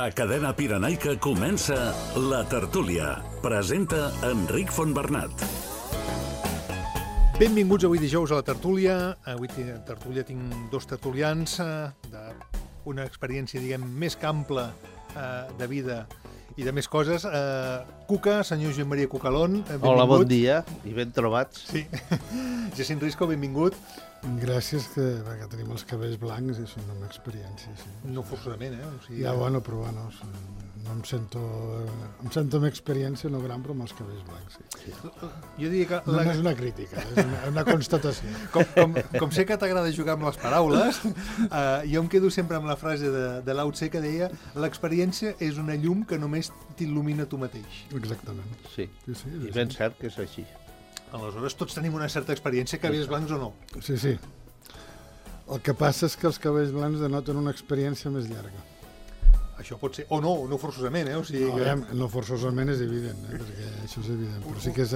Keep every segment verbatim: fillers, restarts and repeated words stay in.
A Cadena Pirenaica comença La Tertúlia. Presenta Enric Fontbernat. Benvinguts avui dijous a La Tertúlia. Avui a Tertúlia tinc dos tertulians d'una experiència, diguem, més que ampla eh, de vida i de més coses. Eh, Cuca, senyor Joan Maria Cucalón, benvingut. Hola, bon dia i ben trobats. Sí. Jacint Risco, benvingut. Gràcies, que, perquè tenim els cabells blancs i és una experiència, sí. No forçosament, eh? O sigui, ja, bueno, però bueno, no em sento... Em sento amb experiència, no gran, però amb els cabells blancs, sí. Jo diria que... No, la... no és una crítica, és una, una constatació. Com, com, com sé que t'agrada jugar amb les paraules, eh, jo em quedo sempre amb la frase de, de Lao Tse que deia: l'experiència és una llum que només t'il·lumina tu mateix. Exactament. Sí, sí, sí i ben cert que és així. Aleshores, tots tenim una certa experiència, cabells blancs o no. Sí, sí. El que passa és que els cabells blancs denoten una experiència més llarga. Això pot ser, o no, no forçosament, eh? O sigui no, que... ja, no forçosament és evident, eh? Perquè això és evident, però sí que és,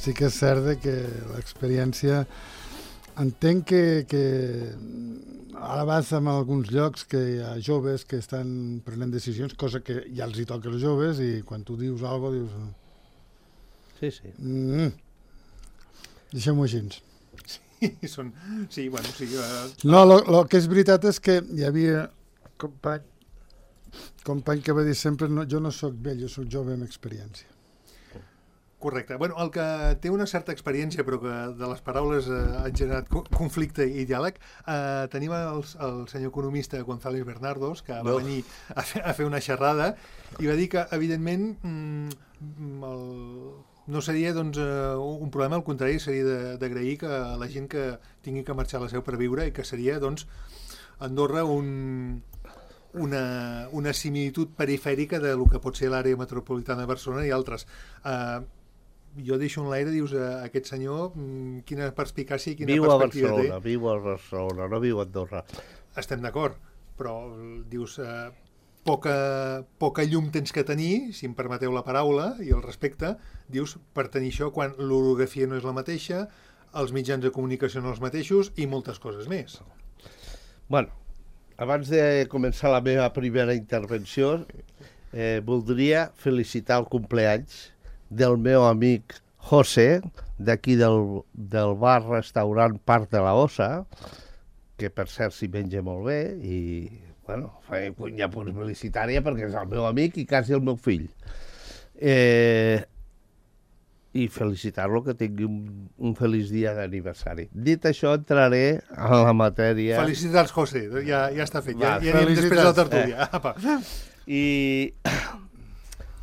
sí que és cert que l'experiència... Entenc que, que ara vas en alguns llocs que hi ha joves que estan prenent decisions, cosa que ja els hi toca als joves, i quan tu dius alguna cosa, dius... Sí, sí. Mm, deixem-ho així. Sí, són... sí, bueno, sí... Uh... No, el que és veritat és que hi havia company, company que va dir sempre: no, jo no sóc vell, jo sóc jove amb experiència. Correcte. Bueno, el que té una certa experiència, però que de les paraules eh, han generat conflicte i diàleg, eh, tenim el, el senyor economista González Bernardos, que va no. venir a fer, a fer una xerrada, i va dir que, evidentment, mm, el... no seria doncs, un problema, al contrari, seria d'agrair que la gent que tingui que marxar a la seu per viure, i que seria, doncs, Andorra un, una, una similitud perifèrica de lo que pot ser l'àrea metropolitana de Barcelona i altres. Uh, jo deixo en l'aire, dius, a aquest senyor, quina perspicàcia i quina viu perspectiva a Barcelona, té. Viu a Barcelona, no viu a Andorra. Estem d'acord, però dius... Uh, Poca, poca llum tens que tenir, si em permeteu la paraula, i el respecte, dius, per tenir això quan l'orografia no és la mateixa, els mitjans de comunicació no els mateixos i moltes coses més. Bueno, abans de començar la meva primera intervenció, eh, voldria felicitar el compleanys del meu amic José, d'aquí del, del bar-restaurant Parc de la Ossa, que per cert s'hi menja molt bé, i... bueno, faig cunya publicitària perquè és el meu amic i quasi el meu fill. Eh, I felicitar-lo que tingui un, un feliç dia d'aniversari. Dit això, entraré a la matèria... Felicitats, José, ja, ja està fet, Va, ja, ja anem després de la tertúlia. Eh. I,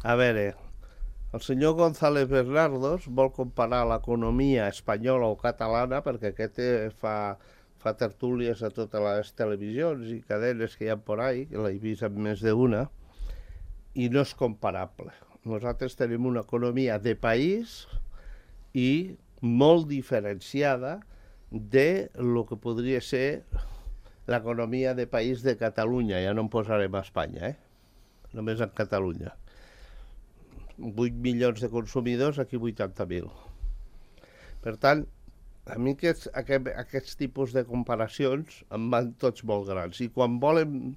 a veure, el senyor González Bernardos vol comparar l'economia espanyola o catalana, perquè aquest fa... fa tertúlies a totes les televisions i cadenes que hi ha por ahí, que l'he vist amb més d'una, i no és comparable. Nosaltres tenim una economia de país i molt diferenciada de lo que podria ser l'economia de país de Catalunya. Ja no em posarem a Espanya, eh? Només en Catalunya. vuit milions de consumidors, aquí vuitanta mil. Per tant, a mi aquests, aquest, aquests tipus de comparacions em van tots molt grans. I quan volen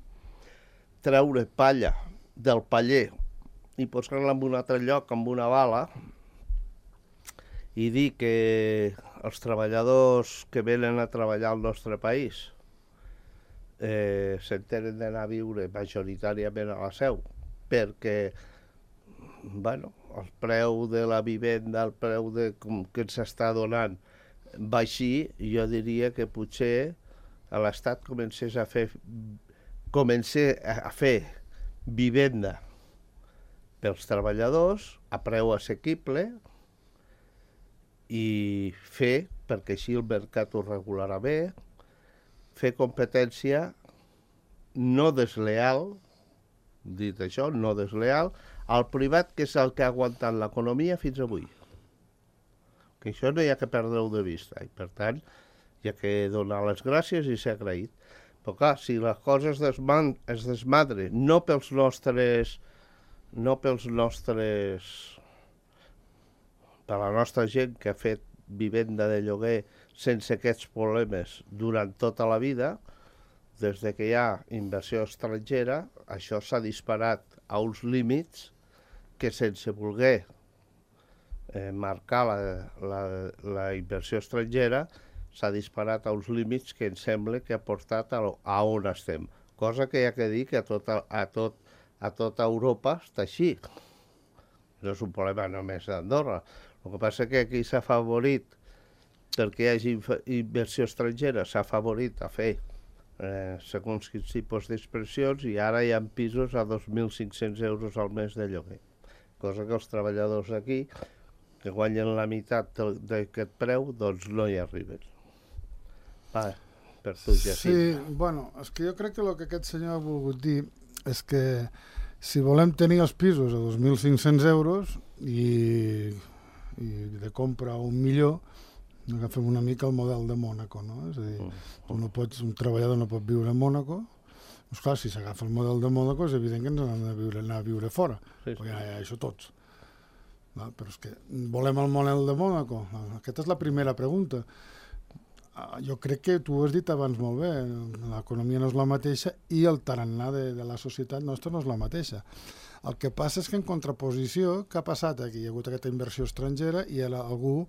treure palla del paller i posar-la en un altre lloc, amb una bala, i dir que els treballadors que venen a treballar al nostre país eh, s'entenen d'anar a viure majoritàriament a la seu, perquè bueno, el preu de la vivenda, el preu de, com, que ens està donant, va així, jo diria que potser a l'Estat comencés a fer comencés a fer vivenda pels treballadors a preu assequible i fer, perquè així el mercat ho regularà bé, fer competència no desleal, dit això, no desleal, al privat, que és el que ha aguantat l'economia fins avui. Que això no hi ha que perdre-ho de vista, i per tant hi ha que donar les gràcies i ser agraït. Però clar, si les coses es, desman, es desmadren, no pels nostres, no pels nostres, per la nostra gent que ha fet vivenda de lloguer sense aquests problemes durant tota la vida, des de que hi ha inversió estrangera, això s'ha disparat a uns límits que sense voler eh, marcar la, la, la inversió estrangera s'ha disparat a uns límits que em sembla que ha portat a, a on estem. Cosa que hi ha que dir que a tota, a tot, a tota Europa està així. No és un problema només d'Andorra. El que passa que aquí s'ha favorit, perquè hi hagi inversió estrangera, s'ha favorit a fer Eh, segons quins tipus d'expressions, i ara hi ha pisos a dos mil cinc-cents euros al mes de lloguer. Cosa que els treballadors aquí, que guanyen la meitat d'aquest preu, doncs no hi arriben. Va, per tu, Jacint. Sí, bueno, és que jo crec que el que aquest senyor ha volgut dir és que si volem tenir els pisos a dos mil cinc-cents euros i, i de compra un milió, agafem una mica el model de Mònaco, no? És a dir, tu no pots, un treballador no pot viure a Mònaco. Doncs clar, si s'agafa el model de Mònaco és evident que ens hem de viure, anar a viure fora, sí, sí. Perquè ja, ja, això tots. No? Però és que volem el model de Mònaco? Aquesta és la primera pregunta. Jo crec que tu ho has dit abans molt bé, l'economia no és la mateixa i el tarannà de, de la societat nostra no és la mateixa. El que passa és que en contraposició, què ha passat aquí? Hi ha hagut aquesta inversió estrangera i algú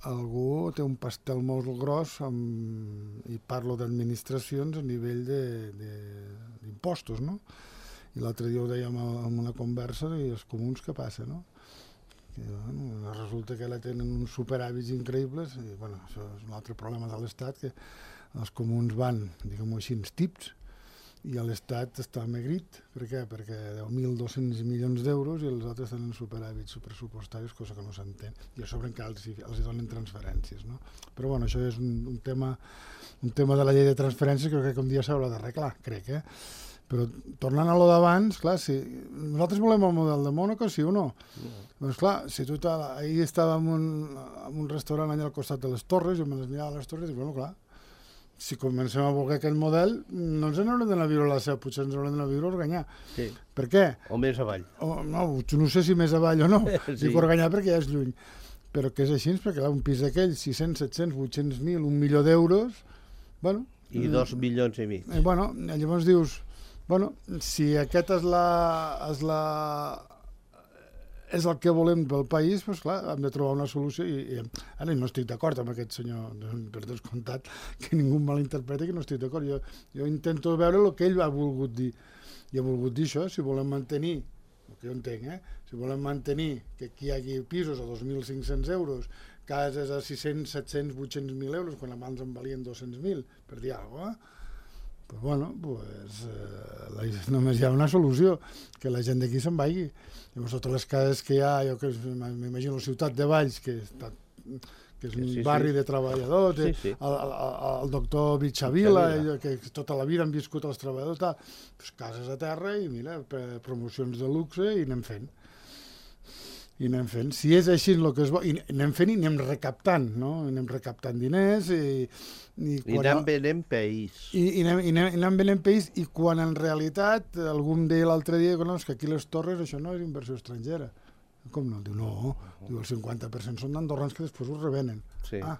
algú té un pastel molt gros amb, i parlo d'administracions a nivell d'impostos, no? I l'altre dia ho dèiem en una conversa i els comuns què passa, no? Que, bueno, resulta que la tenen uns superhàbits increïbles i, bueno, això és un altre problema de l'Estat, que els comuns van, diguem-ho així, tips, i l'Estat està amagrit. Per què? Perquè deu mil dos-cents milions d'euros i els altres tenen superhàbits pressupostaris, cosa que no s'entén. I a sobre encara els, els donen transferències, no? Però bueno, això és un, un, tema, un tema de la llei de transferències que crec que un dia s'haurà d'arreglar, crec, eh? Però tornant a lo d'abans, clar, si nosaltres volem el model de Mònaco, sí o no? No. Doncs clar, si tu ahir estava en un, en un restaurant allà al costat de les Torres, jo me les mirava a les Torres i dic, bueno, clar, si comencem a voler aquest model, no ens n'haurem d'anar a viure a la Seu, potser ens haurem d'anar a viure a Organyà. Sí. Per què? O més avall. O, no, no sé si més avall o no. Sí. Dic Organyà perquè ja és lluny. Però que és així, perquè clar, un pis d'aquell, sis-cents, set-cents, vuit-cents mil, un milió d'euros, bueno... I dos milions i mig. Eh, bueno, llavors dius, bueno, si aquest és la... És la és el que volem pel país, doncs clar, hem de trobar una solució i, i ara no estic d'acord amb aquest senyor, per descomptat, que ningú malinterpreti que no estic d'acord. Jo, jo intento veure el que ell ha volgut dir. I ha volgut dir això, si volem mantenir, el que jo entenc, eh? Si volem mantenir que aquí hi hagi pisos a dos mil cinc-cents euros, cases a sis-cents, set-cents, vuit-cents mil euros, quan abans en valien dos-cents mil, per dir alguna cosa, pues bueno, pues, eh, la, només hi ha una solució, que la gent d'aquí se'n vagi. Llavors, totes les cases que hi ha, jo que m'imagino la ciutat de Valls, que, està, que és un sí, barri sí. de treballadors, sí, sí. El, el, el doctor Bitxavila, que tota la vida han viscut els treballadors, tal, pues, cases a terra i mira, promocions de luxe i anem fent. I anem fent. Si és així el que es vol, i anem fent i anem recaptant, no? Anem recaptant diners i... I, I anem venent país. I, i, anem, i, anem, i anem venent país i quan en realitat algú em deia l'altre dia no, que aquí les Torres això no és inversió estrangera. Com no? Diu, no, diu, el cinquanta per cent són d'andorrans que després ho revenen. Sí. Ah,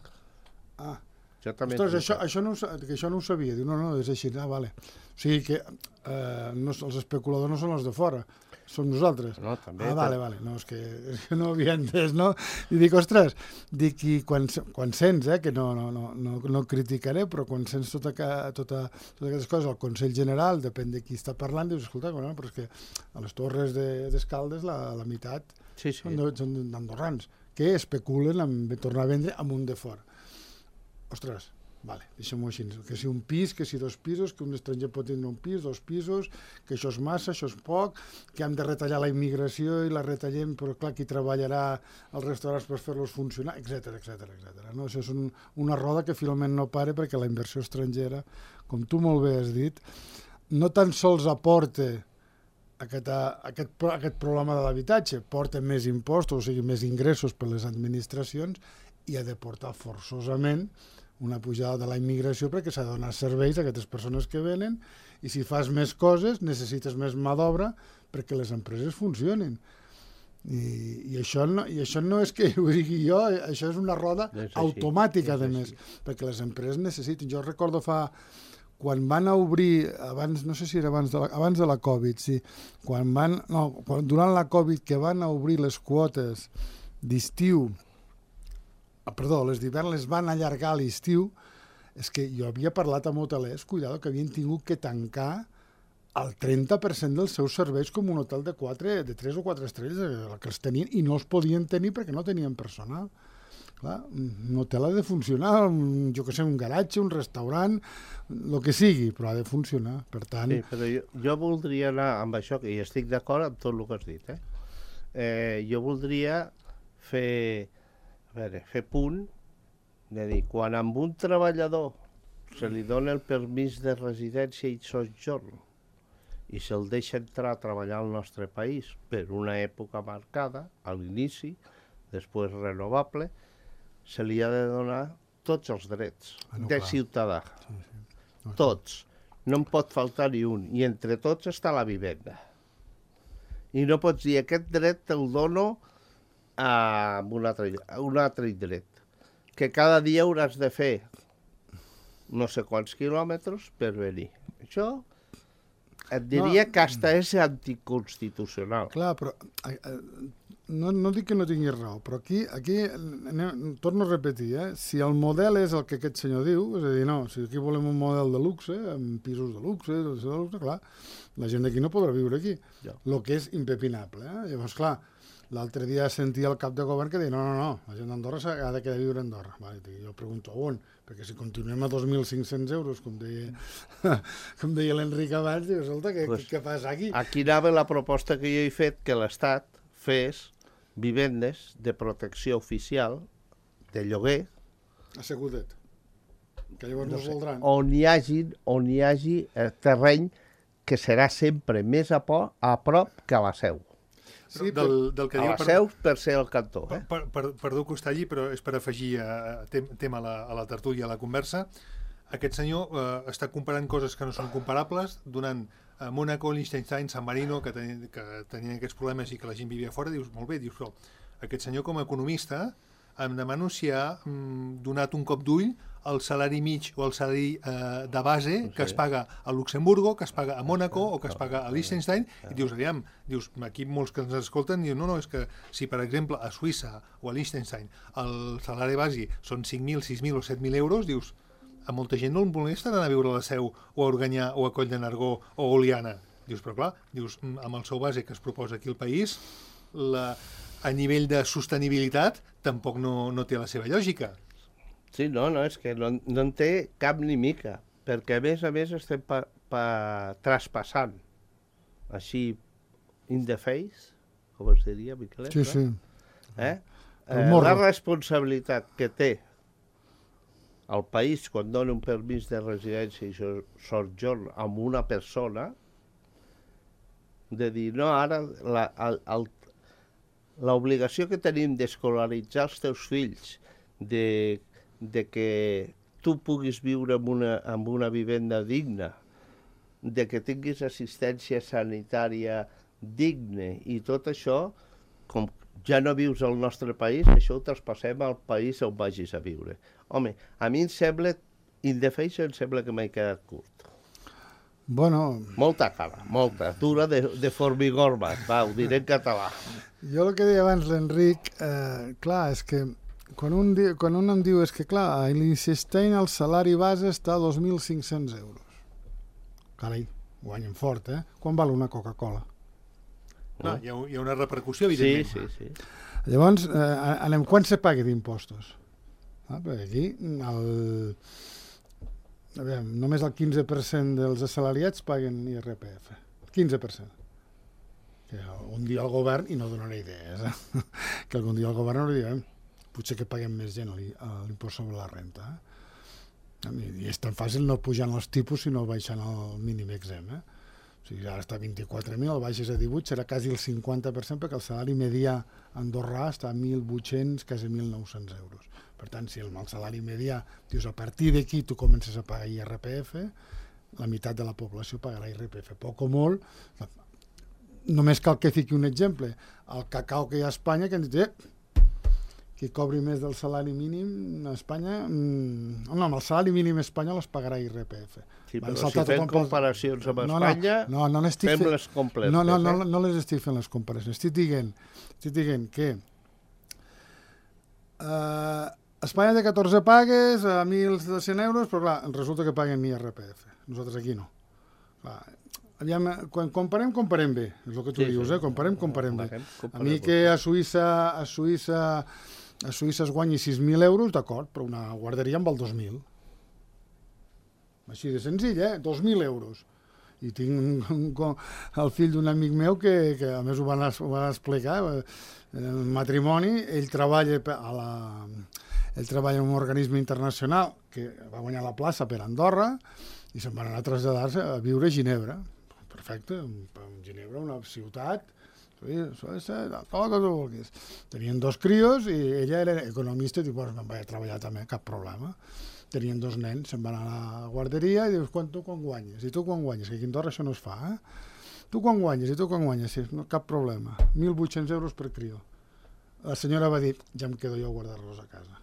ah. Ostres, això, això, no, que això no ho sabia. Diu, no, no, és així. Ah, vale. O sigui que eh, no, els especuladors no són els de fora, som nosaltres. No, també. Ah, vale, vale. No, és que, és que no ho havia entès, no? I dic, ostres, dic, i quan, quan sents, eh, que no, no, no, no, no criticaré, però quan sents tota, tota, totes aquestes coses al Consell General, depèn de qui està parlant, dius, escolta, bueno, però és que a les Torres d'Escaldes la, la meitat sí, sí. són d'andorrans, que especulen en tornar a vendre amunt de fora. Ostres, vale, deixem-ho així, que si un pis, que si dos pisos, que un estranger pot tindre un pis, dos pisos, que això és massa, això és poc, que hem de retallar la immigració i la retallem, però clar, qui treballarà als restaurants per fer-los funcionar, etcètera, etcètera, etcètera. No? Això és un, una roda que finalment no para perquè la inversió estrangera, com tu molt bé has dit, no tan sols aporta aquest, aquest, aquest problema de l'habitatge, porta més impostos, o sigui, més ingressos per les administracions i ha de portar forçosament una pujada de la immigració perquè s'ha de donar serveis a aquestes persones que venen i si fas més coses necessites més mà d'obra perquè les empreses funcionin. I, i, això no, i això no és que ho digui jo, això és una roda automàtica, a més, perquè les empreses necessiten. Jo recordo fa quan van a obrir, abans, no sé si era abans de la, abans de la Covid, sí, quan van, no, quan, durant la Covid que van a obrir les quotes d'estiu, ah, perdó, les d'hivern les van allargar a l'estiu, és que jo havia parlat amb hotelers, cuidado, que havien tingut que tancar el trenta per cent dels seus serveis com un hotel de, quatre, de tres o quatre estrelles, que els tenien, i no els podien tenir perquè no tenien personal. Clar, un hotel ha de funcionar, un, jo que sé, un garatge, un restaurant, el que sigui, però ha de funcionar. Per tant... Sí, però jo, jo voldria anar amb això, que hi estic d'acord amb tot el que has dit. Eh? Eh, jo voldria fer, a veure, fer punt, de dir, quan amb un treballador se li dona el permís de residència i sojorn i se'l deixa entrar a treballar al nostre país per una època marcada, a l'inici, després renovable, se li ha de donar tots els drets ah, no, de clar. ciutadà. Sí, sí. No, Tots. No en pot faltar ni un. I entre tots està la vivenda. I no pots dir, aquest dret te'l dono a un altre, a un altre dret. Que cada dia hauràs de fer no sé quants quilòmetres per venir. Això et diria no, que hasta és anticonstitucional. Clar, però eh, no, no dic que no tinguis raó, però aquí, aquí anem, torno a repetir, eh? Si el model és el que aquest senyor diu, és a dir, no, si aquí volem un model de luxe, amb pisos de luxe, de luxe, clar, la gent d'aquí no podrà viure aquí, el ja. que és impepinable. Eh? Llavors, clar, l'altre dia sentia el cap de govern que deia no, no, no, la gent d'Andorra ha de quedar a viure a Andorra. Vale, jo pregunto on, perquè si continuem a dos mil cinc-cents euros, com deia, com deia l'Enric abans, diu, escolta, què, pues, què passa aquí? Aquí anava la proposta que jo he fet, que l'Estat fes vivendes de protecció oficial, de lloguer, assegudet, que llavors no, no es voldran. On hi hagi, on hi hagi eh, terreny que serà sempre més a, por, a prop que a la Seu. Sí, del, del que a la per, Seu per ser el cantó. Eh? Per, per, perdó que us talli, però és per afegir a, a tema a la, a la tertúlia, a la conversa. Aquest senyor eh, està comparant coses que no són comparables, donant a Mónaco, Liechtenstein, San Marino, que, ten, que tenien aquests problemes i que la gent vivia fora, dius, molt bé, dius, però aquest senyor com a economista em demano si ha mm, donat un cop d'ull el salari mig o el salari eh, de base que sí. es paga a Luxemburgo, que es paga a Mónaco o que es paga a Liechtenstein, i dius, aviam, dius, aquí molts que ens escolten diuen, no, no, és que si per exemple a Suïssa o a Liechtenstein el salari base són cinc mil, sis mil o set mil euros, dius, a molta gent no el molesta anar a viure a la Seu o a Organyà o a Coll de Nargó o a Oliana. Dius, però clar, dius, amb el seu base que es proposa aquí al país, la, a nivell de sostenibilitat tampoc no, no té la seva lògica. Sí, no, no, és que no, no en té cap ni mica, perquè a més a més estem pa, pa, traspassant així in the face, com es diria, Miquelet? Sí, sí. Eh? Eh, la responsabilitat que té el país quan dona un permís de residència i sojorn a una persona, de dir, no, ara la, el, el, l'obligació que tenim d'escolaritzar els teus fills, de, de que tu puguis viure en una, en una vivenda digna, de que tinguis assistència sanitària digna i tot això, com ja no vius al nostre país, això ho traspassem al país on vagis a viure. Home, a mi em sembla, in the face, em sembla que m'he quedat curt. Bueno... Molta cara, molta, dura de, de formigorma, va, ho diré en català. Jo el que deia abans l'Enric, eh, clar, és que quan un, di, quan un em diu és que, clar, a Liechtenstein el salari base està a dos mil cinc-cents euros. Carai, guanyen fort, eh? Quan val una Coca-Cola? Clar, hi ha, hi ha una repercussió, evidentment. Sí, sí, sí. Llavors, eh, anem, quan se paga d'impostos? Ah, perquè aquí, el, a veure, només el quinze per cent dels assalariats paguen I R P F. quinze per cent. Que un dia el govern, i no donaré idees, eh? que algun dia el govern no li direm, potser que paguem més gent a l'impost sobre la renta. Eh? I és tan fàcil no pujant els tipus, sinó baixant el mínim exempt. Eh? O sigui, ara està a vint-i-quatre mil, el baixes a divuit, serà quasi el cinquanta per cent, perquè el salari medià andorrà està a mil vuit-cents, quasi mil nou-cents euros. Per tant, si el salari medià, dius, a partir d'aquí tu comences a pagar I R P F, la meitat de la població pagarà I R P F. Poc o molt, només cal que fiqui un exemple. El cacau que hi ha a Espanya, que han dit, eh, qui cobri més del salari mínim a Espanya... Mm, no, amb el salari mínim espanyol es pagarà I R P F. Sí, però si fem comparacions amb no, Espanya, no, no, no fem fe... les completes. No, no, no, eh? no les estic fent les comparacions. Estic dient, estic dient que uh, Espanya té catorze pagues a mil dos-cents euros, però clar, resulta que paguen I R P F. Nosaltres aquí no. Clar, aviam, quan comparem, comparem bé. És el que tu sí, dius, sí. eh? Comparem, comparem bé. Comparem, a mi que a Suïssa, a Suïssa, a Suïssa es guanyi sis mil euros, d'acord, però una guarderia en val dos mil. Així de senzill, eh? dos mil euros. I tinc un, un, el fill d'un amic meu que, que a més ho van, ho van explicar, en el matrimoni, ell treballa a la... Ell treballa en un organisme internacional que va guanyar la plaça per Andorra i se'n van anar a traslladar-se a viure a Ginebra. Perfecte, en Ginebra, una ciutat, tot el que tu vulguis. Tenien dos crios i ella era economista i diu, bueno, me'n vaig a treballar també, cap problema. Tenien dos nens, se'n van anar a la guarderia i dius, quan tu quan guanyes? I tu quan guanyes? Que aquí a Andorra això no es fa, eh? Tu quan guanyes? I tu quan guanyes? Sí, no, cap problema. mil vuit-cents euros per crio. La senyora va dir, ja em quedo jo a guardar-los a casa.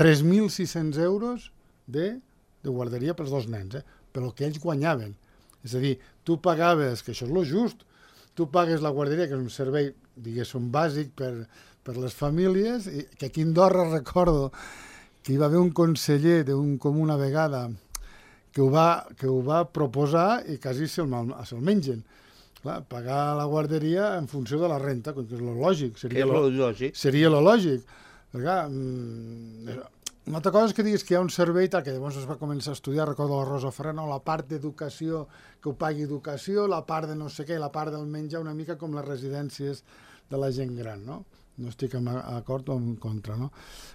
tres mil sis-cents euros de, de guarderia pels dos nens, eh? Però que ells guanyaven. És a dir, tu pagaves, que això és lo just, tu pagues la guarderia, que és un servei, diguéssim, bàsic per, per les famílies, i que aquí a Andorra recordo que hi va haver un conseller d'un comú una vegada que ho va, que ho va proposar i quasi se'l se mengen. Clar, pagar la guarderia en funció de la renta, que és lo lògic. Seria lo lògic. Seria lo lògic. Perquè, una altra cosa és que diguis que hi ha un servei tal, que llavors es va començar a estudiar, recordo la Rosa Ferrer, no, la part d'educació, que ho pagui educació, la part de no sé què, la part del menjar, una mica com les residències de la gent gran, no? No estic en acord o en contra, no?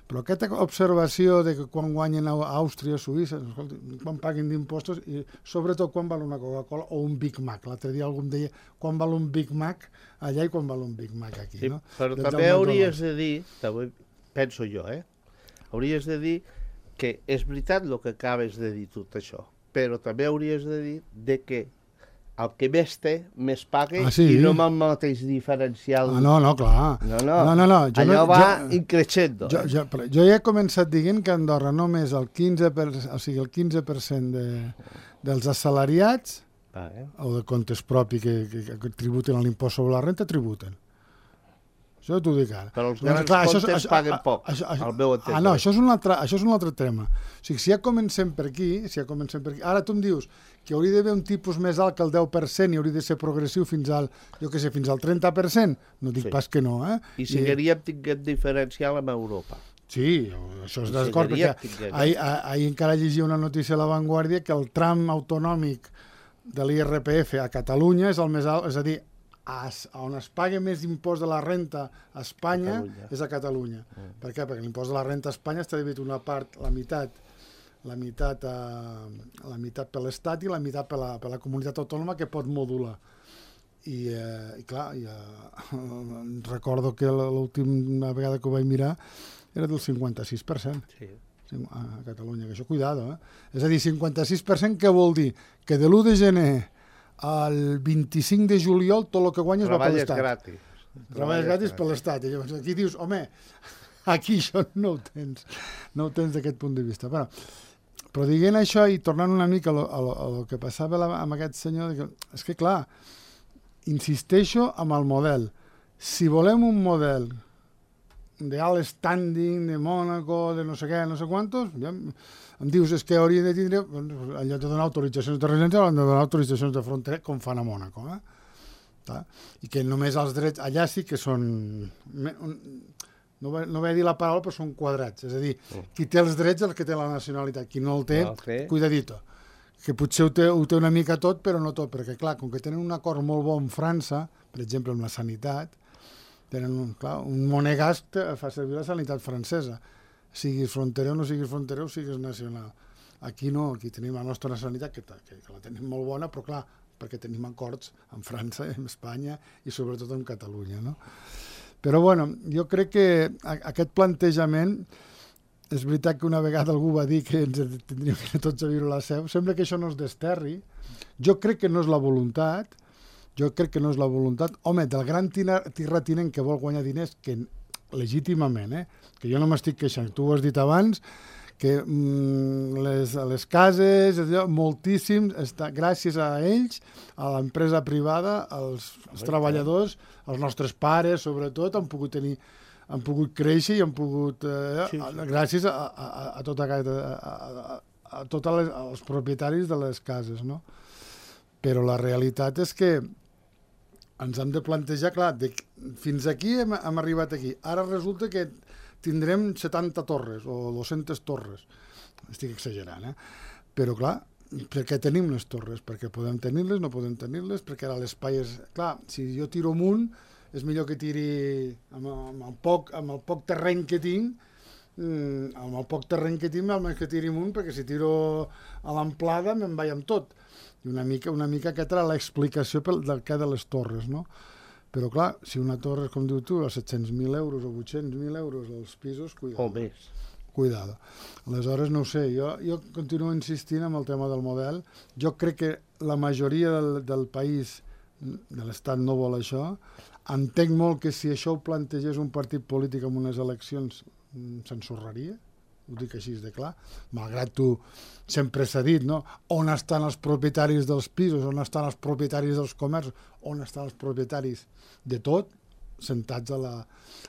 Però aquesta observació de que quan guanyen a Àustria, Suïssa, escolta, quan paguin d'impostos i sobretot quan val una Coca-Cola o un Big Mac. L'altre dia algú em deia quan val un Big Mac allà i quan val un Big Mac aquí, sí, no? Però Des també hauries de dir, també penso jo, eh? Hauries de dir que és veritat el que acabes de dir tot això, però també hauries de dir de que el que més té, més paga, ah, sí? I no amb el mateix diferencial. Ah, no, no, clar. No, no, no, no, no. Jo allò no, va jo, increixendo. Jo, jo, jo ja he començat dient que a Andorra només el quinze per cent, o sigui, el quinze per cent de, dels assalariats ah, eh? o de comptes propis que, que, que tributen l'impost sobre la renta, tributen. Això t'ho dic ara. Però els grans doncs, clar, comptes això, això, paguen poc, això, això, al meu entendre. Ah, no, això és, un altre, això és un altre tema. O sigui, si ja comencem per aquí, si ja comencem per aquí, ara tu em dius que hauria d'haver un tipus més alt que el deu per cent i hauria de ser progressiu fins al, jo què sé, fins al trenta per cent, no dic sí. pas que no, eh? I seguiríem tinguent diferencial amb Europa. Sí, això és d'acord, perquè ahir, ahir encara llegia una notícia a La Vanguardia que el tram autonòmic de l'I R P F a Catalunya és el més alt, és a dir, A, on es paga més impost de la renta a Espanya Catalunya. És a Catalunya. Mm. Per què? Perquè l'impost de la renta a Espanya està dividit una part, la meitat, la meitat, eh, la meitat per l'Estat i la meitat per la, per la comunitat autònoma que pot modular. I, eh, i clar, i, eh, recordo que l'última vegada que ho vaig mirar era del cinquanta-sis per cent. Sí. A Catalunya, que això, cuidado, eh? És a dir, cinquanta-sis per cent què vol dir? Que de l'u de gener el vint-i-cinc de juliol tot el que guanyes va per l'Estat. Gratis. Treballes gratis per l'Estat. I llavors aquí dius, home, aquí això no ho tens, no ho tens d'aquest punt de vista. Però, però dient això i tornant una mica a lo, a lo, a lo que passava la, amb aquest senyor, que, és que clar, insisteixo amb el model. Si volem un model d'alt standing, de Mònaco, de no sé què, no sé quantos, ja, em dius, és que hauria de tindre, en lloc de donar autoritzacions de residència, han de donar autoritzacions de frontera, com fan a Mònaco. Eh? I que només els drets, allà sí que són, no vaig no dir la paraula, però són quadrats. És a dir, qui té els drets és el que té la nacionalitat, qui no el té, okay. Cuidadito. Que potser ho té, ho té una mica tot, però no tot, perquè clar, com que tenen un acord molt bo amb França, per exemple amb la sanitat, tenen un, clar, un monegasc fa servir la sanitat francesa. Siguis fronterer o no siguis fronterer o siguis nacional. Aquí no, aquí tenim la nostra nacionalitat, que, que, que la tenim molt bona, però clar, perquè tenim acords amb França, amb Espanya i sobretot amb Catalunya, no? Però bueno, jo crec que aquest plantejament, és veritat que una vegada algú va dir que ens tindríem que anar tots a viure a la Seu, sembla que això no es desterri, jo crec que no és la voluntat, jo crec que no és la voluntat, home, del gran terratinent que vol guanyar diners, que legítimament, eh? Que jo no m'estic queixant. Tu ho has dit abans, que mm, les, les cases, moltíssims, està, gràcies a ells, a l'empresa privada, els, els treballadors, els nostres pares, sobretot, han pogut tenir han pogut créixer i han pogut, eh, sí, sí. gràcies a, a, a, tota, a, a, a tots els propietaris de les cases, no? Però la realitat és que ens hem de plantejar, clar, de, fins aquí hem, hem arribat aquí. Ara resulta que tindrem setanta torres o dues-centes torres. Estic exagerant, eh? Però, clar, per què tenim les torres? Perquè podem tenir-les, no podem tenir-les, perquè ara l'espai és... Clar, si jo tiro amunt, és millor que tiri amb, amb, el, poc, amb el poc terreny que tinc, mmm, amb el poc terreny que tinc, almenys que tiri amunt, perquè si tiro a l'amplada me'n vaig amb tot. I una mica, una mica aquesta era l'explicació del que de les torres, no? Però clar, si una torre, com diu tu, a set-cents mil euros o vuit-cents mil euros als pisos, cuidado. O més. Cuidado. Aleshores, no ho sé, jo, jo continuo insistint amb el tema del model. Jo crec que la majoria del, del país, de l'Estat, no vol això. Entenc molt que si això ho plantegés un partit polític en unes eleccions s'ensorraria, ho dic així de clar, malgrat tu sempre s'ha dit, no? On estan els propietaris dels pisos, on estan els propietaris dels comerços, on estan els propietaris de tot, sentats a la,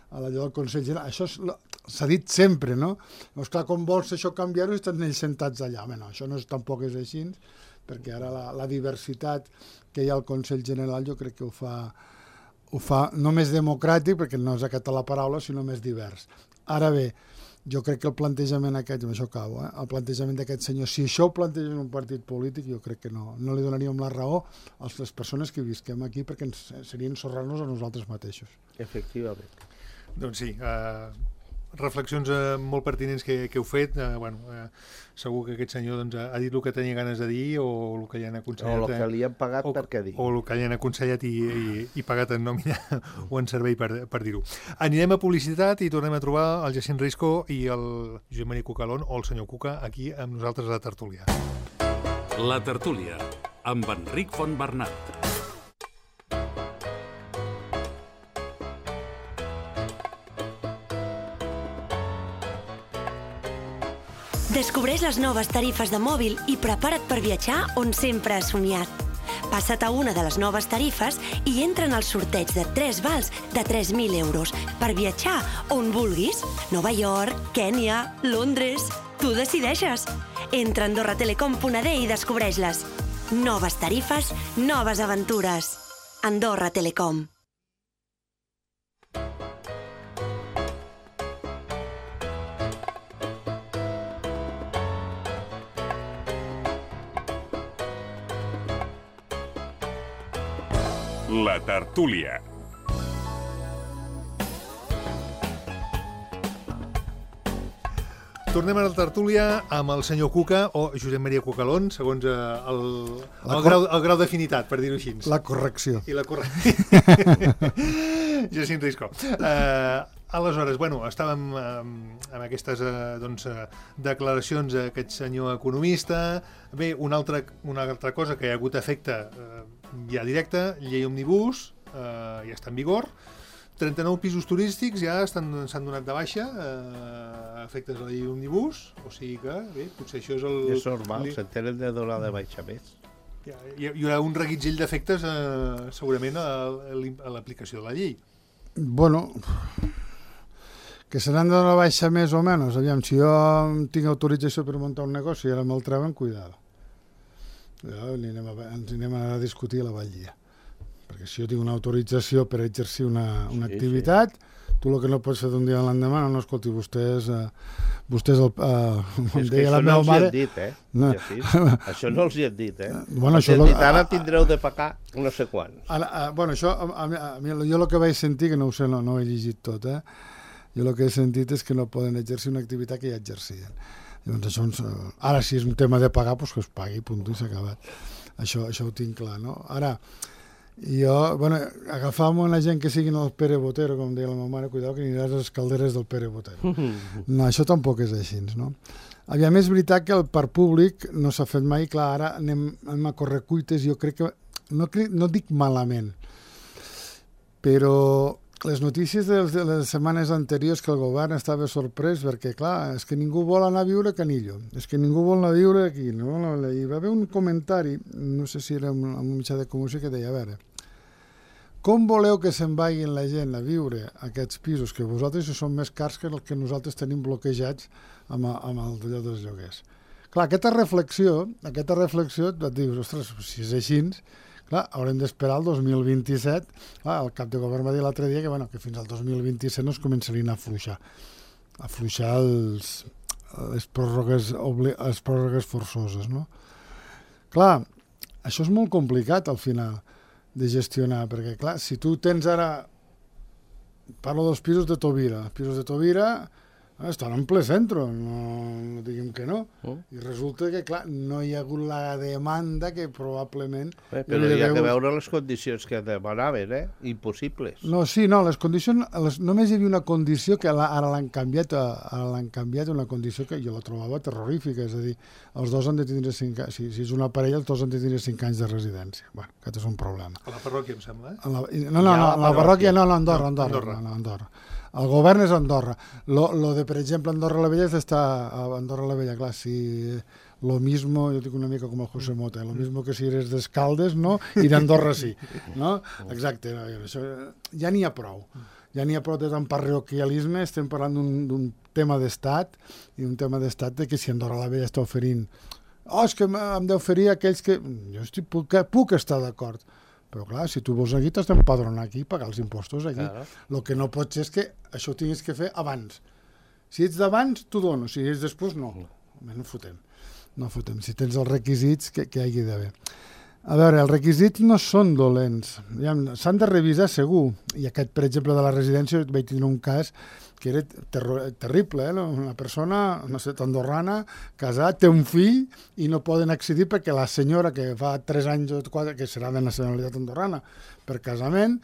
a la del Consell General. Això s'ha dit sempre, no? Llavors, clar, com vols això canviar-ho, estan ells sentats allà. Bé, no, això no és, tampoc és així, perquè ara la, la diversitat que hi ha al Consell General jo crec que ho fa, ho fa no més democràtic, perquè no és aquesta la paraula, sinó més divers. Ara bé, jo crec que el plantejament aquest, amb això acabo, eh? El plantejament d'aquest senyor, si això ho planteja en un partit polític, jo crec que no, no li donaríem la raó a les persones que visquem aquí, perquè ens, seria ensorrar-nos a nosaltres mateixos. Efectivament. Doncs sí, uh, reflexions uh, molt pertinents que, que heu fet. Uh, bueno, uh, segur que aquest senyor doncs, ha dit el que tenia ganes de dir o el que li han aconsellat. O el que li han pagat o, per què dir. O el que li han aconsellat i, i, i pagat en nòmina o en servei per, per dir-ho. Anirem a publicitat i tornem a trobar el Jacint Risco i el Josep Maria Cucalón o el senyor Cuca aquí amb nosaltres a la tertúlia. La tertúlia amb Enric Fontbernat. Descobreix les noves tarifes de mòbil i prepara't per viatjar on sempre has somiat. Passa't a una de les noves tarifes i entra en el sorteig de tres vals de tres mil euros per viatjar on vulguis. Nova York, Kènia, Londres... Tu decideixes. Entra a andorra telecom punt a d i descobreix-les. Noves tarifes, noves aventures. Andorra Telecom. La tertúlia. Tornem a la tertúlia amb el senyor Cuca o Josep Maria Cucalón, segons eh, el, el, cor... grau, el grau d'afinitat, per dir-ho així. La correcció. I la correcció. Jacint Risco. Eh, aleshores, bueno, estàvem eh, amb aquestes eh, doncs, eh, declaracions d'aquest senyor economista. Bé, una altra, una altra cosa que hi ha hagut efecte eh, ja directe, llei òmnibus, eh, ja està en vigor. trenta-nou pisos turístics ja s'han donat de baixa eh, efectes de la llei òmnibus, o sigui que, bé, potser això és el... És normal, li... se tenen de donar de baixa més. Hi, hi, hi haurà un reguitzell d'efectes eh, segurament a, a l'aplicació de la llei. Bueno, que se n'han de donar baixa més o menys. Aviam, si jo tinc autorització per muntar un negoci i ara me'l treuen, cuidado. Ja, anem a, ens anem a discutir a la Vallia. Perquè si jo tinc una autorització per exercir una, una sí, activitat, sí. Tu el que no pots fer d'un dia a l'endemà, no, no, escolti, vostès, eh, vostès el, eh, com és deia la meva no mare... Això no els hi hem dit, eh? No. Ja, això no els hi hem dit, eh? Bueno, això lo... dit, ara tindreu de pagar no sé quants. Ara, a, bueno, això, a, a, a mi, jo el que vaig sentir, que no ho sé, no, no ho he llegit tot, eh? Jo el que he sentit és que no poden exercir una activitat que ja exercien. Llavors, això ens, ara, si és un tema de pagar, doncs que es pagui, punt, i s'ha acabat. Això, això ho tinc clar, no? Ara, jo, bueno, agafam una gent que siguin el Pere Botero, com deia la meva mare, cuidado que aniràs a les calderes del Pere Botero. No, això tampoc és així, no? Aviam, és veritat que el parc públic no s'ha fet mai, clar, ara anem, anem a correcuites, jo crec que, no, crec, no dic malament, però les notícies de les setmanes anteriors que el govern estava sorprès perquè, clar, és que ningú vol anar a viure a Canillo, és que ningú vol anar a viure aquí. No? Hi va haver un comentari, no sé si era en un mitjà de comunicació, que deia, a veure, com voleu que se'n vagin la gent a viure a aquests pisos que vosaltres són més cars que els que nosaltres tenim bloquejats amb, amb el d'allò dels lloguers? Clar, aquesta reflexió, aquesta reflexió et dius, ostres, si és així, clar, haurem d'esperar el dos mil vint-i-set. Clar, el cap de govern va dir l'altre dia que, bueno, que fins al dos mil vint-i-set no es començarien a afluixar. A afluixar els, les, pròrrogues, les pròrrogues forçoses, no? Clar, això és molt complicat al final de gestionar, perquè, clar, si tu tens ara... Parlo dels pisos de Tobira. Els pisos de Tobira estan en ple centre, no, no diguem que no. Oh. I resulta que, clar, no hi ha hagut la demanda que probablement... Bé, però hi ha que veure les condicions que demanaven, eh? Impossibles. No, sí, no, les condicions... Les, només hi havia una condició que la, ara l'han canviat, ara l'han canviat, una condició que jo la trobava terrorífica, és a dir, els dos han de tindre cinc anys, si, si és una parella, els dos han de tindre cinc anys de residència. Bueno, aquest és un problema. A la parròquia, em sembla, eh? La, no, no, no, la parròquia no, no, Andorra, Andorra. Andorra. No, no, Andorra. El govern és Andorra. Lo, lo de, per exemple, Andorra la Vella és d'estar a Andorra la Vella, clar, si lo mismo, jo dic una mica com el José Mota, lo mismo que si eres d'Escaldes, no? I d'Andorra sí, no? Exacte, això, ja n'hi ha prou. Ja n'hi ha prou de tant parroquialisme, estem parlant d'un tema d'estat, i un tema d'estat de que si Andorra la Vella està oferint, oh, és que hem d'oferir aquells que... Jo estic, puc, puc estar d'acord, però clar, si tu vols aquí, t'has d'empadronar aquí i pagar els impostos aquí. El claro. que no pot ser és que això ho tinguis que fer abans. Si ets d'abans, t'ho dono. Si ets després, no. No fotem. No fotem. Si tens els requisits, que, que hi hagi d'haver. A veure, els requisits no són dolents. S'han de revisar segur. I aquest, per exemple, de la residència, vaig tenir un cas que era ter terrible, eh? Una persona, no sé, andorrana, casat, té un fill i no poden accedir perquè la senyora que fa tres anys o quatre, que serà de nacionalitat andorrana, per casament,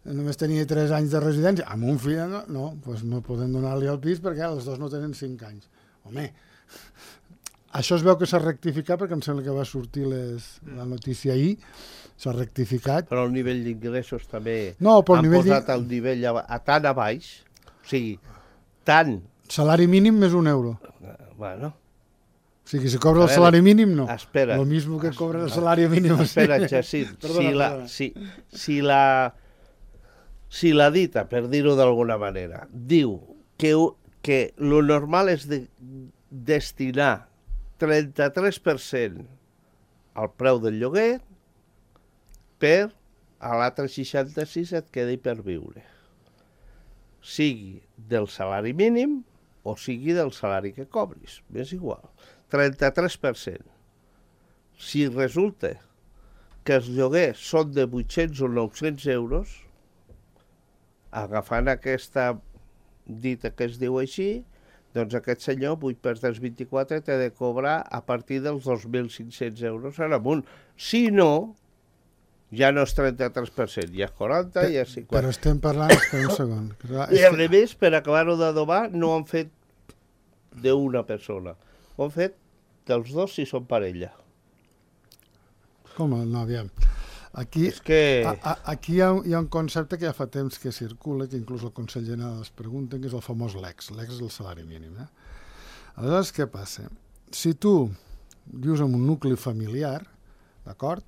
només tenia tres anys de residència, amb un fill, no, no, doncs no poden donar-li el pis perquè els dos no tenen cinc anys. Home, això es veu que s'ha rectificat perquè em sembla que va sortir les, la notícia ahir, s'ha rectificat. Però el nivell d'ingressos també no, han posat el nivell a, a tan a baix. O sigui, tant... Salari mínim més un euro. Bueno. O sigui, si cobra el salari mínim, no. Espera. Lo mismo que cobra el salari mínim. Espera, Jacint. Si la, si, si, la, si la dita, per dir-ho d'alguna manera, diu que, que lo normal és de destinar trenta-tres per cent al preu del lloguer per a l'altre seixanta-sis et quedi per viure. Sigui del salari mínim o sigui del salari que cobris, és igual, trenta-tres per cent. Si resulta que els lloguers són de vuit-cents o nou-cents euros, agafant aquesta dita que es diu així, doncs aquest senyor, vuit per tres, vint-i-quatre, té de cobrar a partir dels dos mil cinc-cents euros en amunt. Si no, ja no és trenta-tres per cent, ja és quaranta, ja és cinquanta. Però estem parlant, espera un segon. I a més, per acabar-ho d'adobar, no han fet d'una persona. Ho han fet dels dos si són parella. Com? No, aviam. Aquí, és que... a, a, aquí hi ha, hi ha un concepte que ja fa temps que circula, que inclús el Consell General es pregunta, que és el famós L E X. L'E X és el salari mínim. Eh? Aleshores, què passa? Si tu vius en un nucli familiar, d'acord?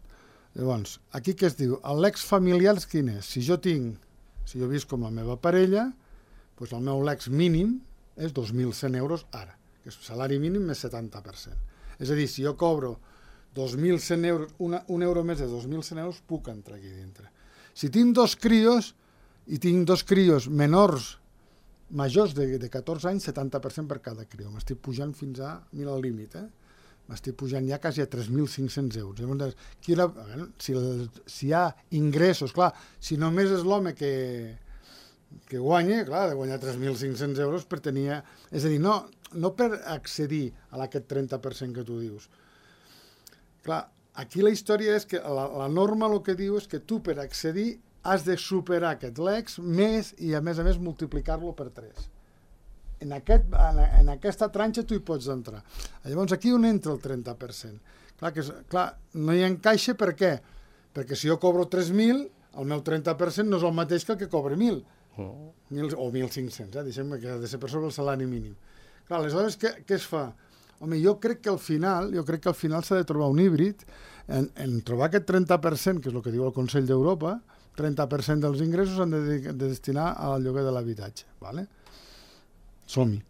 Llavors, aquí què es diu? L'E X familiar quin és? Si jo tinc, si jo visc com la meva parella, doncs el meu L E X mínim és dos mil cent euros ara, que és salari mínim més setanta per cent. És a dir, si jo cobro dos mil cent euros, una, un euro més de dos mil cent euros, puc entrar aquí dintre. Si tinc dos crios, i tinc dos crios menors, majors de, de catorze anys, setanta per cent per cada crio. M'estic pujant fins a, mira el límit, eh? M'estic pujant ja quasi a tres mil cinc-cents euros. Llavors, qui la, si, si hi ha ingressos, clar, si només és l'home que, que guanya, clar, de guanyar tres mil cinc-cents euros per tenir... És a dir, no, no per accedir a aquest trenta per cent que tu dius. Clar, aquí la història és que la, la norma el que diu és que tu per accedir has de superar aquest L E X més i a més a més multiplicar-lo per tres. En, aquest, en, en aquesta tranxa tu hi pots entrar. Llavors aquí on entra el trenta per cent? Clar, que, clar, no hi encaixa per què? Perquè si jo cobro tres mil, el meu trenta per cent no és el mateix que el que cobra mil. Mil, o mil cinc-cents, eh? Deixem que ha de ser per sobre el salari mínim. Clar, aleshores, què, què es fa? Home, jo crec que al final, jo crec que al final s'ha de trobar un híbrid en, en trobar aquest trenta per cent, que és el que diu el Consell d'Europa, trenta per cent dels ingressos s'han de, de destinar al lloguer de l'habitatge, ¿vale? Som-hi,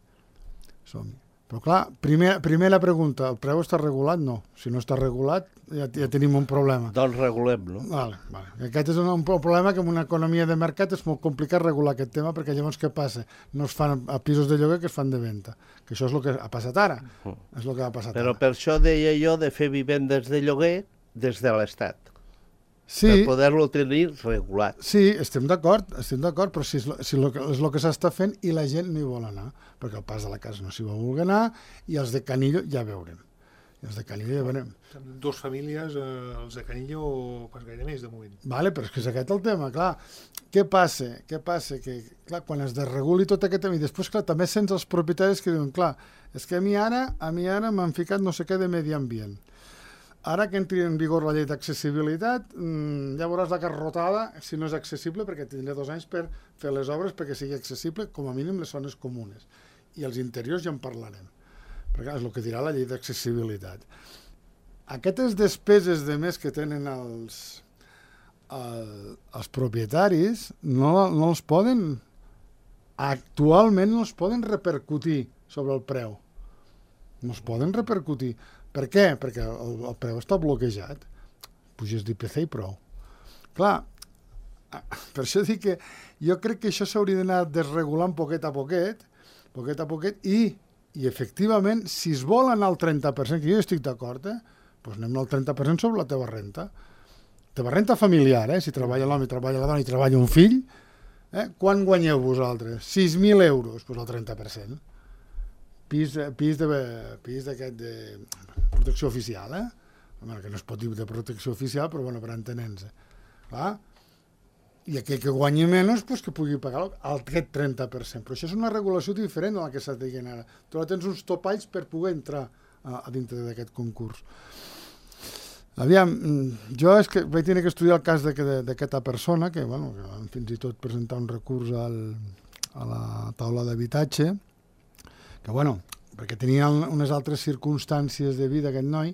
som-hi. Però clar, primer, primera pregunta, el preu està regulat? No. Si no està regulat, ja, ja tenim un problema. Doncs regulem-lo. Vale, vale. Aquest és un, un problema que en una economia de mercat és molt complicat regular aquest tema, perquè llavors què passa? No es fan a pisos de lloguer que es fan de venda. Que això és el que ha passat ara. Uh. És el que ha passat Però ara. per això deia jo de fer vivendes de lloguer des de l'Estat. Sí, per poder-lo tenir regulat. sí, estem d'acord, estem d'acord, però si és, lo, si lo, és el que s'està fent i la gent no hi vol anar, perquè el pas de la casa no s'hi va voler anar i els de Canillo ja veurem. I els de Canillo ja veurem. Dos famílies, eh, els de Canillo, pas gaire més de moment. Vale, però és que és aquest el tema, clar. Què passa? Què passa? Que, clar, quan es desreguli tot aquest tema, i després, clar, també sents els propietaris que diuen, clar, és que a mi ara, a mi ara m'han ficat no sé què de medi ambient. Ara que entri en vigor la llei d'accessibilitat, mmm, ja veuràs la carrotada si no és accessible, perquè tindré dos anys per fer les obres perquè sigui accessible, com a mínim les zones comunes. I els interiors ja en parlarem, perquè és el que dirà la llei d'accessibilitat. Aquestes despeses de més que tenen els, el, els propietaris no, no els poden, actualment no els poden repercutir sobre el preu. No es poden repercutir. Per què? Perquè el, el preu està bloquejat. Puges d'I P C i prou. Clar, per això dic que jo crec que això s'hauria d'anar desregulant poquet a poquet, poquet a poquet, i, i efectivament, si es vol anar al trenta per cent, que jo estic d'acord, eh, doncs anem al trenta per cent sobre la teva renta. Teva renta familiar, eh? Si treballa l'home, treballa la dona i treballa un fill, eh? Quan guanyeu vosaltres? sis mil euros, doncs el trenta per cent. Pis, pis de pis d'aquest de protecció oficial, eh? Bueno, que no es pot dir de protecció oficial, però bueno, per entenents. Clar? I aquell que guanyi menys, pues, que pugui pagar aquest trenta per cent. Però això és una regulació diferent a la que s'ha dient ara. Tu ara tens uns topalls per poder entrar a, a dintre d'aquest concurs. Aviam, jo és que vaig tenir que estudiar el cas d'aquesta persona, que, bueno, que van fins i tot presentar un recurs al, a la taula d'habitatge, que, bueno, perquè tenia unes altres circumstàncies de vida aquest noi,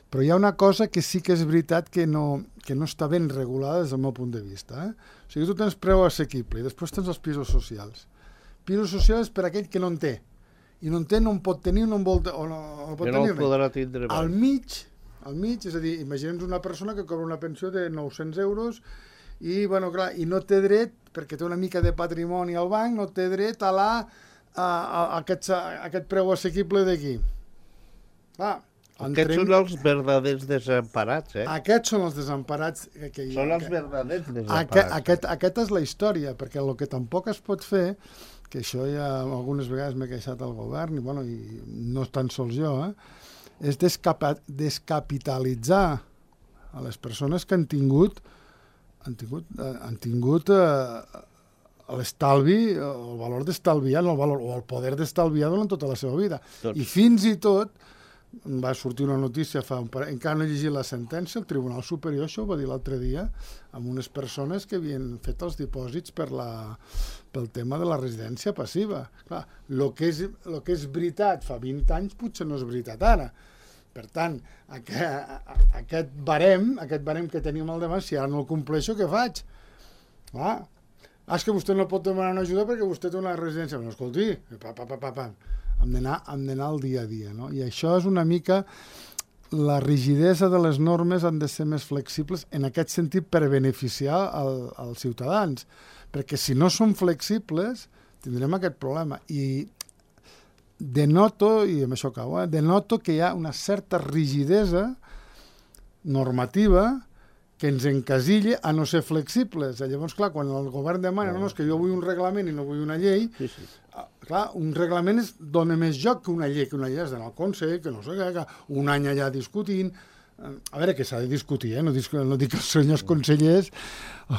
però hi ha una cosa que sí que és veritat que no, que no està ben regulada des del meu punt de vista. Eh? O sigui, tu tens preu assequible i després tens els pisos socials. Pisos socials per aquell que no en té. I no en té, no en pot tenir, no en vol, o no, no pot que no tenir el podrà tindre mai. Al mig, al mig, és a dir, imaginem una persona que cobra una pensió de nou-cents euros i, bueno, clar, i no té dret, perquè té una mica de patrimoni al banc, no té dret a la a, a, a, aquest, a aquest preu assequible d'aquí. Ah, aquests són els verdaders desemparats, eh? Aquests són els desemparats. Que, que són que, els verdaders desemparats. Aquest, aquest, aquest és la història, perquè el que tampoc es pot fer, que això ja algunes vegades m'he queixat al govern, i, bueno, i no tan sols jo, eh, és descapa, descapitalitzar a les persones que han tingut han tingut, han tingut eh, l'estalvi, el valor d'estalviar, no el valor, o el poder d'estalviar durant tota la seva vida. Doncs. I fins i tot va sortir una notícia, fa un par... encara no he llegit la sentència, el Tribunal Superior, això ho va dir l'altre dia, amb unes persones que havien fet els dipòsits per la, pel tema de la residència passiva. Clar, el que és, lo que és veritat fa vint anys potser no és veritat ara. Per tant, aquest, aquest barem, aquest barem que tenim al demà, si ara no el compleixo, què faig? Clar, ah, és que vostè no pot demanar una ajuda perquè vostè té una residència. No, escolti, pa, pa, pa, pa, pa. Hem d'anar al dia a dia, no? I això és una mica la rigidesa de les normes han de ser més flexibles en aquest sentit per beneficiar el, els ciutadans, perquè si no són flexibles tindrem aquest problema. I denoto, i amb això acabo, eh, denoto que hi ha una certa rigidesa normativa que ens encasilla a no ser flexibles. Llavors, clar, quan el govern demana no, no, és que jo vull un reglament i no vull una llei, sí, sí. Clar, un reglament es dona més joc que una llei, que una llei és d'anar al Consell, que no sé què, que un any allà discutint. A veure, que s'ha de discutir, eh? no, dic, no dic que els senyors consellers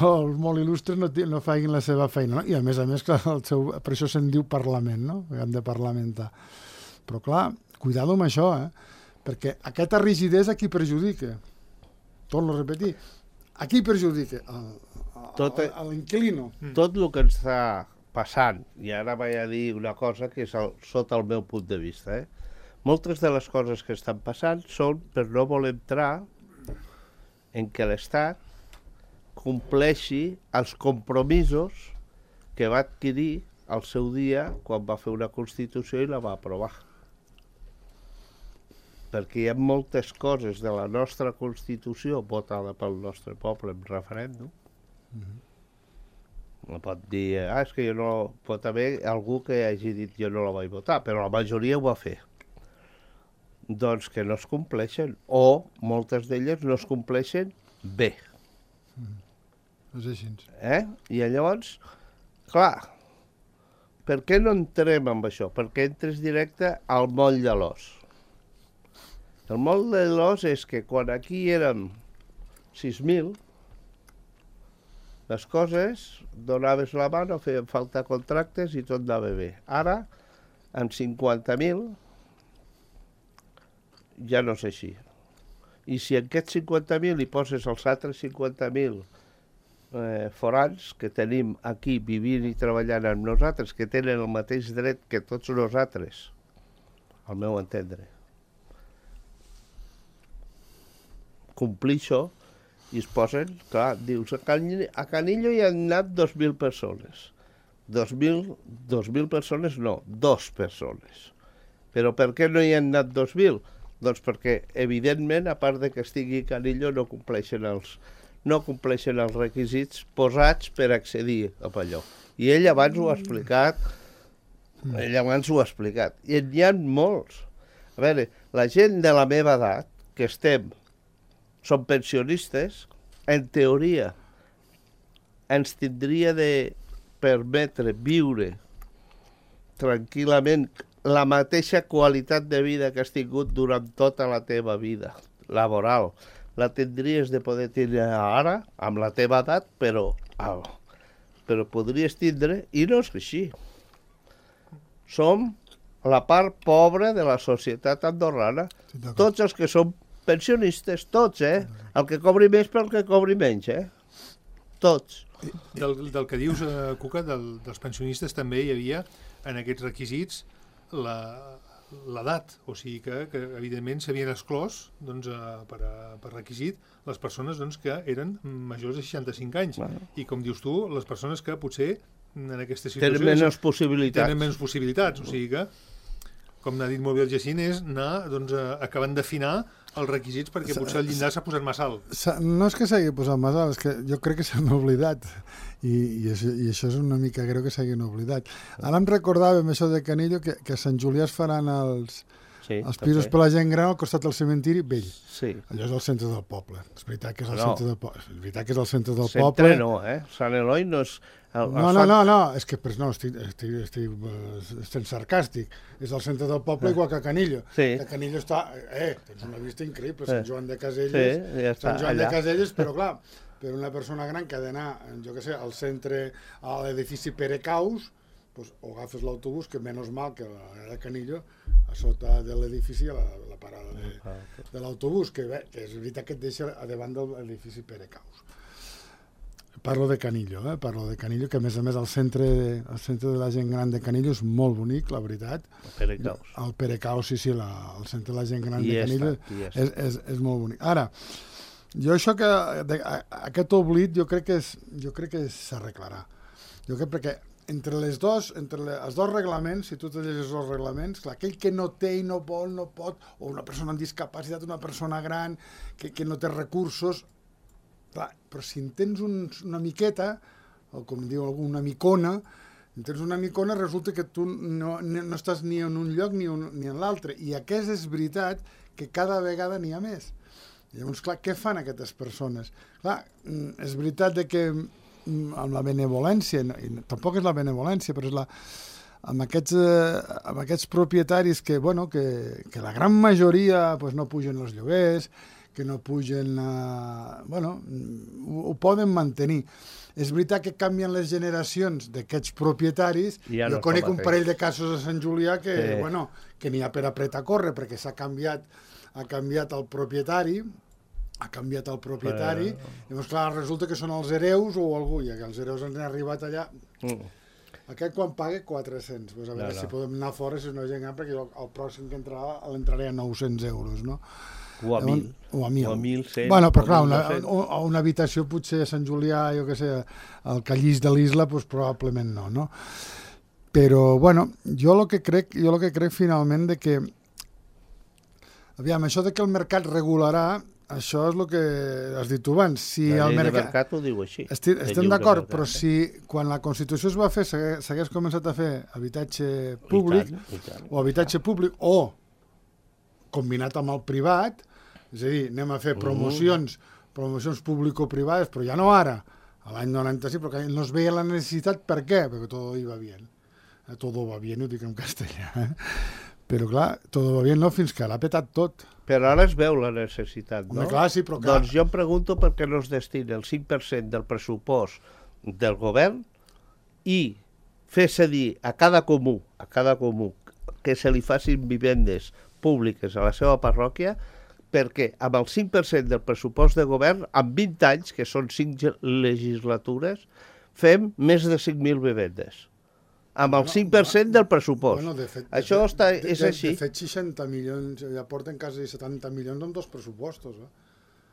o els molt il·lustres no, no facin la seva feina, no? I a més a més, clar, el seu, per això se'n diu Parlament, no? Hem de parlamentar. Però clar, cuidado amb això, eh? Perquè aquesta rigidesa qui perjudica? Torno a repetir, A qui perjudica? A l'inquilino. Tot el que ens està passant, i ara vaig a dir una cosa que és el, sota el meu punt de vista, eh? Moltes de les coses que estan passant són per no voler entrar en què l'Estat compleixi els compromisos que va adquirir al seu dia quan va fer una Constitució i la va aprovar. Perquè hi ha moltes coses de la nostra Constitució votada pel nostre poble en referèndum. Mm-hmm. No pot dir, ah, és que jo no... Pot haver algú que hagi dit jo no la vaig votar, però la majoria ho va fer. Doncs que no es compleixen, o moltes d'elles no es compleixen bé. Mm. És així. Eh? I llavors, clar, per què no entrem amb això? Perquè entres directe al moll de l'os. El moll de l'os és que quan aquí érem sis mil, les coses, donaves la mà, no feien falta contractes i tot anava bé. Ara, amb cinquanta mil, ja no és així. I si en aquests cinquanta mil hi poses els altres cinquanta mil eh, forans que tenim aquí vivint i treballant amb nosaltres, que tenen el mateix dret que tots nosaltres, al meu entendre, complir això, i es posen, clar, dius, a, Can... a Canillo hi han anat dos mil persones. Dos mil, dos mil persones no, dos persones. Però per què no hi han anat dos mil? Doncs perquè, evidentment, a part de que estigui a Canillo, no compleixen els, no compleixen els requisits posats per accedir a allò. I ell abans ho ha explicat, ell abans ho ha explicat. I n'hi ha molts. A veure, la gent de la meva edat, que estem són pensionistes, en teoria ens tindria de permetre viure tranquil·lament la mateixa qualitat de vida que has tingut durant tota la teva vida laboral. La tindries de poder tindre ara, amb la teva edat, però, però podries tindre, i no és així. Som la part pobra de la societat andorrana. Tots els que som pensionistes, tots, eh? El que cobri més pel que cobri menys, eh? Tots. Del, del que dius, eh, Cuca, del, dels pensionistes també hi havia en aquests requisits l'edat, o sigui que, que evidentment s'havien exclòs doncs, eh, per, a, per requisit les persones doncs, que eren majors de seixanta-cinc anys. Bueno. I com dius tu, les persones que potser en aquesta situació tenen menys possibilitats. Tenen menys possibilitats, o sigui que, com n'ha dit molt bé el Jacint, és anar doncs, acabant d'afinar els requisits perquè potser el llindar s'ha posat massa alt. No és que s'hagi posat massa alt, és que jo crec que s'han oblidat i, i, això, i això és una mica greu que s'hagin oblidat. Ara em recordàvem això de Canillo, que, que a Sant Julià es faran els, sí, els pisos per la gent gran al costat del cementiri vell. Sí. Allò és el centre del poble. És veritat que és el no. centre del poble. És veritat que és el centre del centre poble. No, eh? Sant Eloi no és... El, no, no, no, no, és que no, estic, estic, estic, estic sarcàstic. És el centre del poble igual que Canillo. Sí. Que Canillo està... Eh, tens una vista increïble, Sant Joan de Caselles, sí, ja Sant Joan allà. de Caselles, però clar, per una persona gran que ha d'anar, jo què sé, al centre, a l'edifici Pere Caus, pues, o agafes l'autobús, que menys mal que a de Canillo, a sota de l'edifici, a la, la parada de, de l'autobús, que, bé, que és veritat que et deixa a davant de l'edifici Pere Caus. Parlo de Canillo, eh? Parlo de Canillo, que a més a més el centre, el centre de la gent gran de Canillo és molt bonic, la veritat. El Pere Caus. El Pere Caus, sí, sí, la, el centre de la gent gran I de Canillo està, és, és, és molt bonic. Ara, jo això que, de, aquest oblit jo crec que és, jo crec que s'arreglarà. Jo crec perquè entre les dos, entre les, els dos reglaments, si tu te llegis els reglaments, clar, aquell que no té i no vol, no pot, o una persona amb discapacitat, una persona gran, que, que no té recursos, clar, però si en tens un, una miqueta, o com diu algú, una micona, en tens una micona, resulta que tu no, no, no estàs ni en un lloc ni, un, ni en l'altre. I aquest és veritat que cada vegada n'hi ha més. Llavors, clar, què fan aquestes persones? Clar, és veritat de que amb la benevolència, i tampoc és la benevolència, però és la, amb, aquests, eh, amb aquests propietaris que, bueno, que, que la gran majoria pues, no pugen els lloguers, que no pugen, eh, bueno, ho, ho poden mantenir. És veritat que canvien les generacions d'aquests propietaris. Ja jo no conec un parell de casos a Sant Julià que, sí. bueno, que n'hi ha per apretar a córrer, perquè s'ha canviat, ha canviat el propietari ha canviat el propietari, però... llavors, clar, resulta que són els hereus o algú, i que els hereus han arribat allà... Mm. Aquest quan paga quatre-cents, pues a veure no, no. si podem anar fora, si no gent, perquè el, el pròxim que entrarà l'entraré a nou-cents euros, no? O a mil. O a mil. O a mil cent. Bueno, però clar, una, una, una habitació potser a Sant Julià, jo què sé, al Callís de l'Isla, pues probablement no, no? Però, bueno, jo el que crec, jo el que crec finalment de que... Aviam, això de que el mercat regularà, això és el que has dit tu abans. Si la el llei mercat... de mercat ho diu així. Estic, estem d'acord, però si quan la Constitució es va fer s'hagués començat a fer habitatge públic I tant, i tant. o habitatge públic o combinat amb el privat, és a dir, anem a fer promocions, promocions público-privades, però ja no ara, a l'any noranta-sis, perquè no es veia la necessitat. Per què? Perquè tot iba bien. Todo va bien, ho dic en castellà. Eh? Però clar, tot va bien no, fins que l'ha petat tot. Però ara es veu la necessitat, no? Home, clar, sí, però clar... Doncs jo em pregunto per què no es destina el cinc per cent del pressupost del govern i fer cedir a cada comú, a cada comú, que se li facin vivendes públiques a la seva parròquia, perquè amb el cinc per cent del pressupost de govern, en vint anys, que són cinc legislatures, fem més de cinc mil vivendes. Amb el cinc per cent del pressupost. Bueno, de fet, Això de, està, de, és de, així. De fet, seixanta milions, ja porten quasi setanta milions amb dos pressupostos. Eh?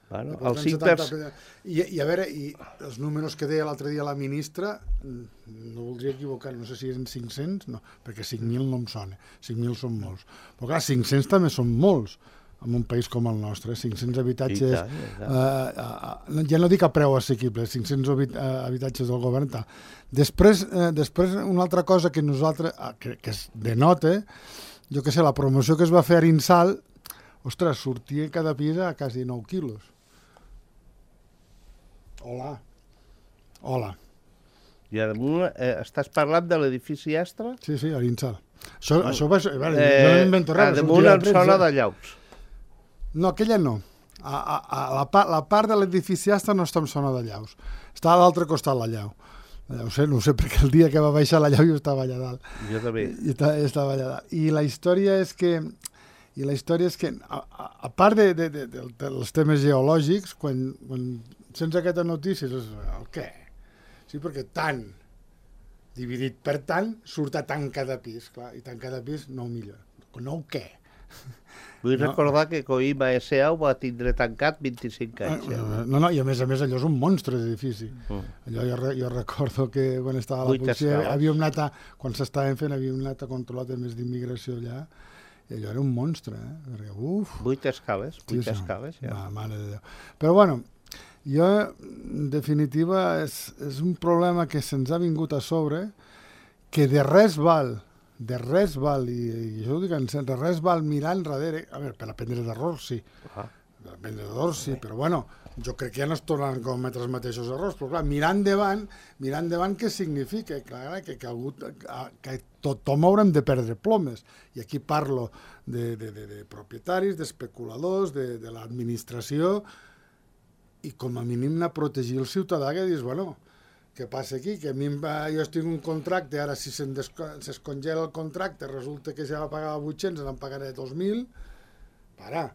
Bueno, el cinc per cent... I, I a veure, i els números que deia l'altre dia la ministra, no voldria equivocar, no sé si eren cinc-cents, no, perquè cinc mil no em sona, cinc mil són molts. Però clar, cinc-cents també són molts, en un país com el nostre, cinc-cents habitatges, tant, tant. Eh, eh, ja no dic a preu assequible, cinc-cents habitatges del govern, tal. Després, eh, després una altra cosa que nosaltres, que, que es denota, jo què sé, la promoció que es va fer a Arinsal, ostres, sortia cada pis a quasi nou quilos. Hola. Hola. I damunt, eh, estàs parlant de l'edifici Astra? Sí, sí, Arinsal. Això, mm. això va... Veure, eh, jo no m'invento res. A damunt em sona de Llaus. No, aquella no. A, a, a la, pa, la part de l'edifici Astra no està en zona de Llaus. Està a l'altre costat la llau. No ho sé, no ho sé, perquè el dia que va baixar la llau jo estava allà dalt. Jo també. I estava allà dalt. I la història és que, i la història és que a, a, a part de, de, de, de, dels temes geològics, quan, quan sents aquesta notícia, és el què? Sí, perquè tant, dividit per tant, surt a tant cada pis, clar, i tant cada pis nou milions. Nou què? Vull no. recordar que Coima S A ho va tindre tancat vint-i-cinc anys. Eh? No, no, i a més a més allò és un monstre d'edifici. Mm. Allò jo, jo recordo que quan estava a la policia havíem anat a, quan s'estaven fent havíem anat a controlar temes d'immigració allà, i allò era un monstre, eh? Perquè, uf, vuit escales, vuit sí, escales, ja. Ma, mare de Déu. Però bueno, jo, en definitiva, és, és un problema que se'ns ha vingut a sobre, que de res val, de res val, i, i això ho dic en sent, de res val mirar enrere, a veure, per aprendre d'errors, sí, ah. per aprendre d'errors, sí, però bueno, jo crec que ja no es tornen a cometre els mateixos errors, però clar, mirar endavant, mirar endavant què significa? Clar, que, que, algú, que tothom haurem de perdre plomes, i aquí parlo de, de, de, de propietaris, d'especuladors, de, de l'administració, i com a mínim anar a protegir el ciutadà, que dius, bueno, què passa aquí? Que a mi va, jo estic en un contracte, ara si se'ns congela el contracte, resulta que ja va pagar vuit-cents, n'en pagaré dos mil, para,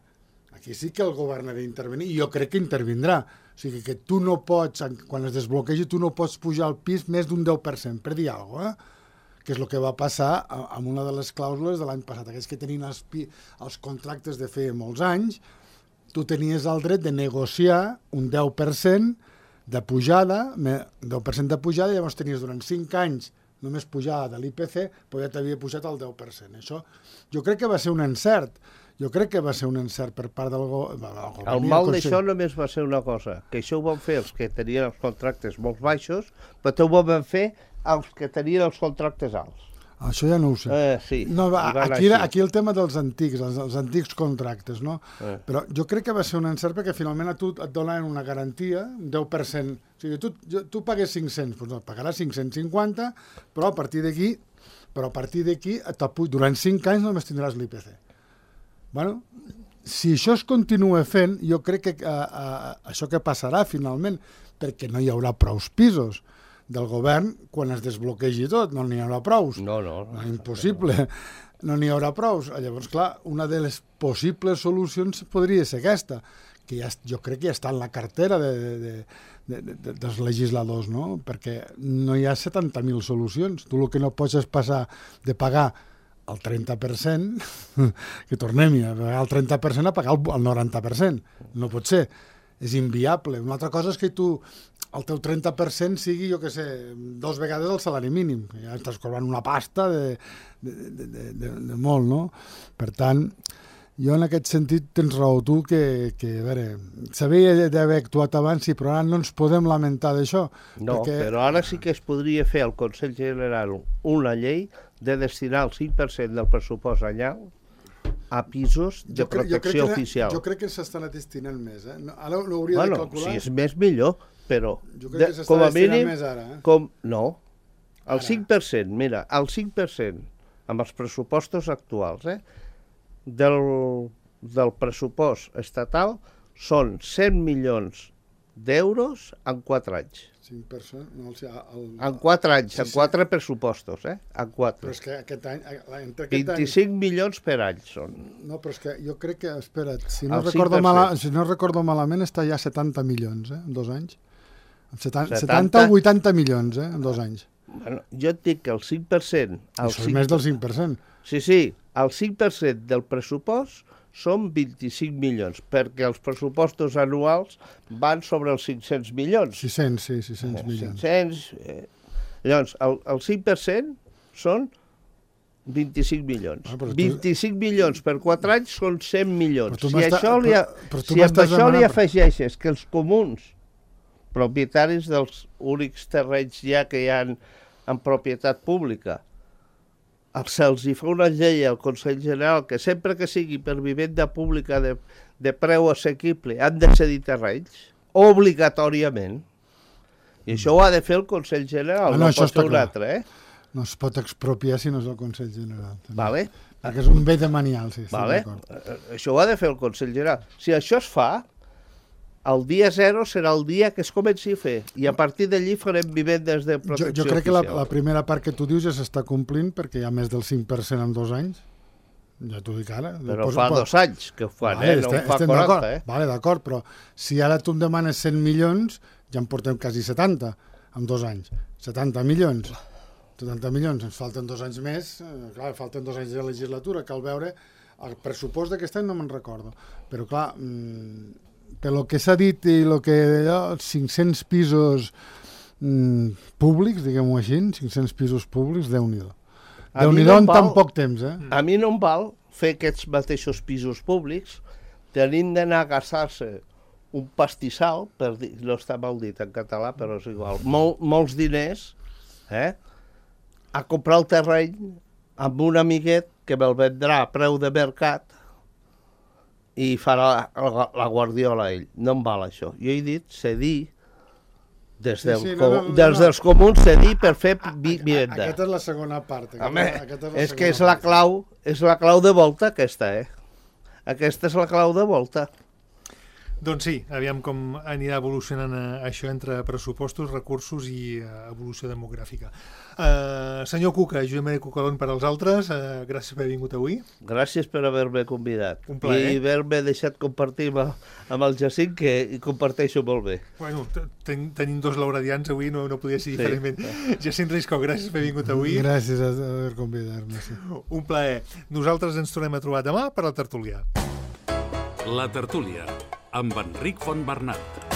aquí sí que el govern ha d'intervenir, i jo crec que intervindrà. O sigui que tu no pots, quan es desbloquegi, tu no pots pujar al pis més d'un deu per cent, per dir alguna cosa, eh? Que és el que va passar amb una de les clàusules de l'any passat. Aquells que tenien els, els contractes de feia molts anys, tu tenies el dret de negociar un deu per cent de pujada, deu per cent de pujada, i llavors tenies durant cinc anys només pujada de l'I P C, però ja t'havia pujat el deu per cent. Això jo crec que va ser un encert. Jo crec que va ser un encert per part del govern. El mal d'això només va ser una cosa, que això ho van fer els que tenien els contractes molt baixos, però també ho van fer els que tenien els contractes alts. Això ja no ho sé. Eh, sí, no, va, aquí, aquí el tema dels antics, els, els antics contractes, no? Eh. Però jo crec que va ser un encert perquè finalment a tu et donen una garantia, un deu per cent. O sigui, tu, tu pagues cinc-cents, doncs no, pagaràs cinc-cents cinquanta, però a partir d'aquí, però a partir d'aquí, durant cinc anys només tindràs l'I P C. Bueno, si això es continua fent, jo crec que a, a, això que passarà finalment, perquè no hi haurà prous pisos del govern quan es desbloquegi tot, no n'hi haurà prous. No, no. no impossible, no n'hi haurà prous. Llavors, clar, una de les possibles solucions podria ser aquesta, que ja, jo crec que ja està en la cartera de, de, de, de, de, dels legisladors, no? Perquè no hi ha setanta mil solucions. Tu el que no pots és passar de pagar el trenta per cent, que tornem a pagar el trenta per cent a pagar el noranta per cent. No pot ser. És inviable. Una altra cosa és que tu, el teu trenta per cent sigui, jo què sé, dos vegades el salari mínim. Ja estàs cobrant una pasta de, de, de, de, de, de molt, no? Per tant, jo en aquest sentit tens raó tu que, que a veure, s'havia d'haver actuat abans, sí, però ara no ens podem lamentar d'això. No, perquè... però ara sí que es podria fer al Consell General una llei de destinar el cinc per cent del pressupost anyal a pisos de jo crec, protecció jo crec oficial. Jo crec que s'estan destinant més, eh? Ara ho hauria bueno, de calcular. Si és més, millor, però jo crec que com a mínim, més ara, eh? com, no, el ara. cinc per cent, mira, el cinc per cent amb els pressupostos actuals, eh, del, del pressupost estatal són cent milions d'euros en quatre anys. cinc per cent? No, o sigui, el... En quatre anys, sí, en quatre sí. pressupostos, eh? En quatre. Però és que aquest any... Entre aquest vint-i-cinc any... milions per any són. No, però és que jo crec que, espera't, si no, El recordo, mala, si no recordo malament, està ja setanta milions, eh? En dos anys. setanta, setanta o vuitanta milions, eh? En dos anys. Bueno, jo et dic que el cinc per cent... El Això és més del cinc per cent. Sí, sí, el cinc per cent del pressupost són vint-i-cinc milions, perquè els pressupostos anuals van sobre els cinc-cents milions. sis-cents, sí, sis-cents milions. cinc-cents, eh, llavors, el, el cinc per cent són vint-i-cinc milions. Ah, tu... vint-i-cinc milions per quatre anys són cent milions. Si, això li, ha... però, però si amb això demanant... li afegeixes que els comuns, propietaris dels únics terrenys ja que hi ha en, en propietat pública, se'ls hi fa una llei al Consell General que sempre que sigui per vivenda pública de, de preu assequible han de cedir terrenys, obligatòriament. I això ho ha de fer el Consell General, ah, no, no pot ser un altre, eh? No es pot expropiar si no és el Consell General. També. Vale. Perquè és un bé demanial, sí, vale. Això ho ha de fer el Consell General. Si això es fa, el dia zero serà el dia que es comenci a fer i a partir d'allí farem vivendes de protecció oficial. Jo, jo crec oficial. que la, la primera part que tu dius ja s'està complint perquè hi ha més del cinc per cent en dos anys. Ja t'ho dic ara. Però Posa, fa pot... dos anys que ho fan, vale, eh? No estem, fa quaranta, eh? Vale, d'acord, però si ara tu em demanes cent milions, ja en portem quasi setanta en dos anys. setanta milions. setanta milions, ens falten dos anys més. Eh, clar, falten dos anys de legislatura. Cal veure el pressupost d'aquest any no me'n recordo. Però clar... Mmm, per lo que s'ha dit i el que allò, cinc-cents pisos mm, públics, diguem-ho així, cinc-cents pisos públics, Déu-n'hi-do. Déu-n'hi-do en tan poc temps, eh? A mi no em val fer aquests mateixos pisos públics tenint d'anar a gastar-se un pastissal, per dir, no està mal dit en català, però és igual, Mol, molts diners, eh? A comprar el terreny amb un amiguet que me'l vendrà a preu de mercat i farà la, la guardiola ell. No em val això. Jo he dit cedir des, sí, del, sí, no, no, no, des dels comuns cedir per fer vivenda. Aquesta és la segona part. Aquesta, Home, aquesta és, és que és la clau, és la clau de volta aquesta, eh? Aquesta és la clau de volta. Doncs sí, aviam com anirà evolucionant això entre pressupostos, recursos i uh, evolució demogràfica. Uh, senyor Cuca, Josep Maria Cucalón per als altres, uh, gràcies per haver vingut avui. Gràcies per haver-me convidat. Un plaer. I haver-me deixat compartir amb, amb el Jacint, que comparteixo molt bé. Bueno, ten, tenim dos lauradians avui, no, no podia ser diferentment. Sí. Jacint Risco, gràcies per haver vingut avui. Gràcies per haver convidat-me. Sí. Un plaer. Nosaltres ens tornem a trobar demà per la tertúlia. La tertúlia, amb Enric Fontbernat.